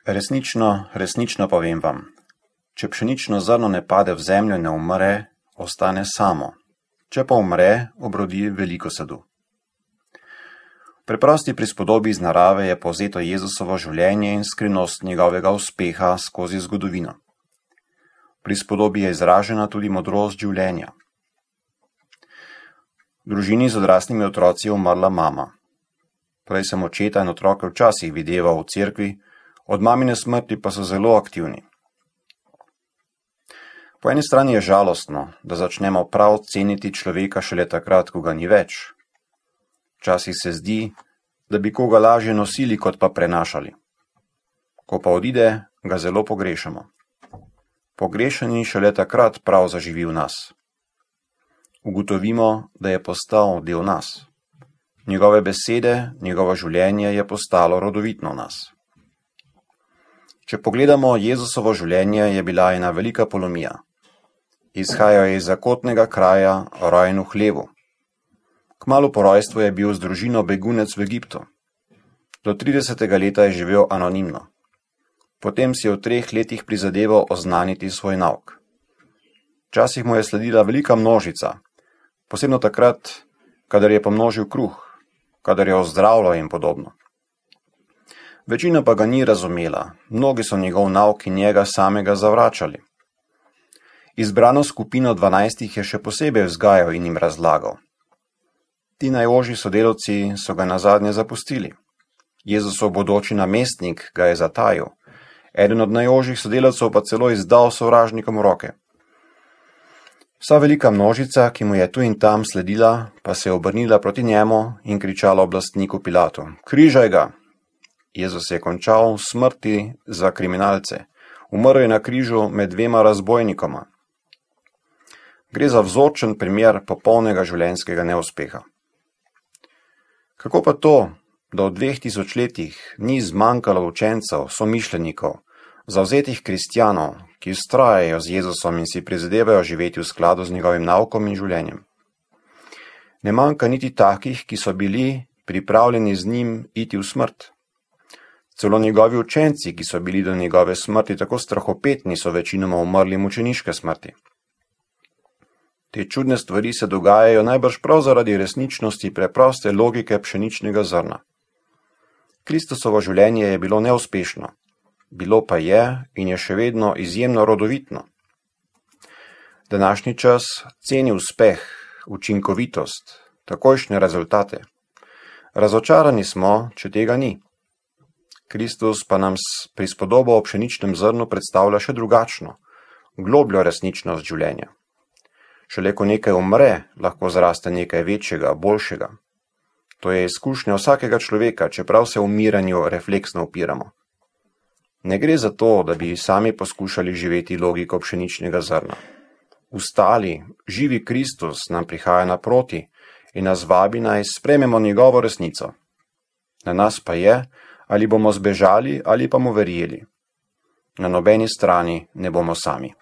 Resnično povem vam, če pšenično zrno ne pade v zemljo in ne umre, ostane samo. Če pa umre, obrodi veliko sadu. V preprosti prispodobi iz narave je povzeto Jezusovo življenje in skrivnost njegovega uspeha skozi zgodovino. V prispodobi je izražena tudi modrost življenja. V družini z odraslimi otroci je umrla mama. Prej sem očeta in otroke včasih videval v cerkvi, od mamine smrti pa so zelo aktivni. Po eni strani je žalostno, da začnemo prav ceniti človeka šele takrat, ko ga ni več. Včasih se zdi, da bi koga lažje nosili, kot pa prenašali. Ko pa odide, ga zelo pogrešamo. Pogrešani šele takrat prav zaživi v nas. Ugotovimo, da je postal del nas. Njegove besede, njegovo življenje je postalo rodovitno v nas. Če pogledamo Jezusovo življenje, je bila ena velika polomija. Izhajal je iz zakotnega kraja, rojen v hlevu. Kmalu po rojstvu je bil z družino begunec v Egiptu. Do 30. leta je živel anonimno. Potem si je v 3 letih prizadeval oznaniti svoj nauk. Včasih mu je sledila velika množica, posebno takrat, kadar je pomnožil kruh, kadar je ozdravljal in podobno. Večina pa ga ni razumela, mnogi so njegov nauk in njega samega zavračali. Izbrano skupino 12 je še posebej vzgajal in jim razlagal. Ti najožji sodelavci so ga nazadnje zapustili. Jezusov bodoči namestnik ga je zatajil, eden od najožjih sodelavcev pa celo izdal sovražnikom v roke. Vsa velika množica, ki mu je tu in tam sledila, pa se je obrnila proti njemu in kričala oblastniku Pilatu: "Križaj ga!" Jezus je končal v smrti za kriminalce. Umrl je na križu med 2 razbojnikoma. Gre za vzorčen primer popolnega življenjskega neuspeha. Kako pa to, da v 2000 letih ni zmanjkalo učencev, somišljenikov, zavzetih kristjanov, ki vztrajajo z Jezusom in si prizadevajo živeti v skladu z njegovim naukom in življenjem? Ne manjka niti takih, ki so bili pripravljeni z njim iti v smrt. Celo njegovi učenci, ki so bili do njegove smrti tako strahopetni, so večinoma umrli mučeniške smrti. Te čudne stvari se dogajajo najbrž prav zaradi resničnosti preproste logike pšeničnega zrna. Kristusovo življenje je bilo neuspešno, bilo pa je in je še vedno izjemno rodovitno. Današnji čas ceni uspeh, učinkovitost, takojšnje rezultate. Razočarani smo, če tega ni. Kristus pa nam s prispodobo o pšeničnem zrnu predstavlja še drugačno, globljo resničnost življenja. Šele ko nekaj umre, lahko zraste nekaj večjega, boljšega. To je izkušnja vsakega človeka, čeprav se umiranju refleksno upiramo. Ne gre za to, da bi sami poskušali živeti logiko pšeničnega zrna. Ustali, živi Kristus nam prihaja naproti in nas vabi, naj sprejmemo njegovo resnico. Na nas pa je, ali bomo zbežali ali pa mu verjeli. Na nobeni strani ne bomo sami.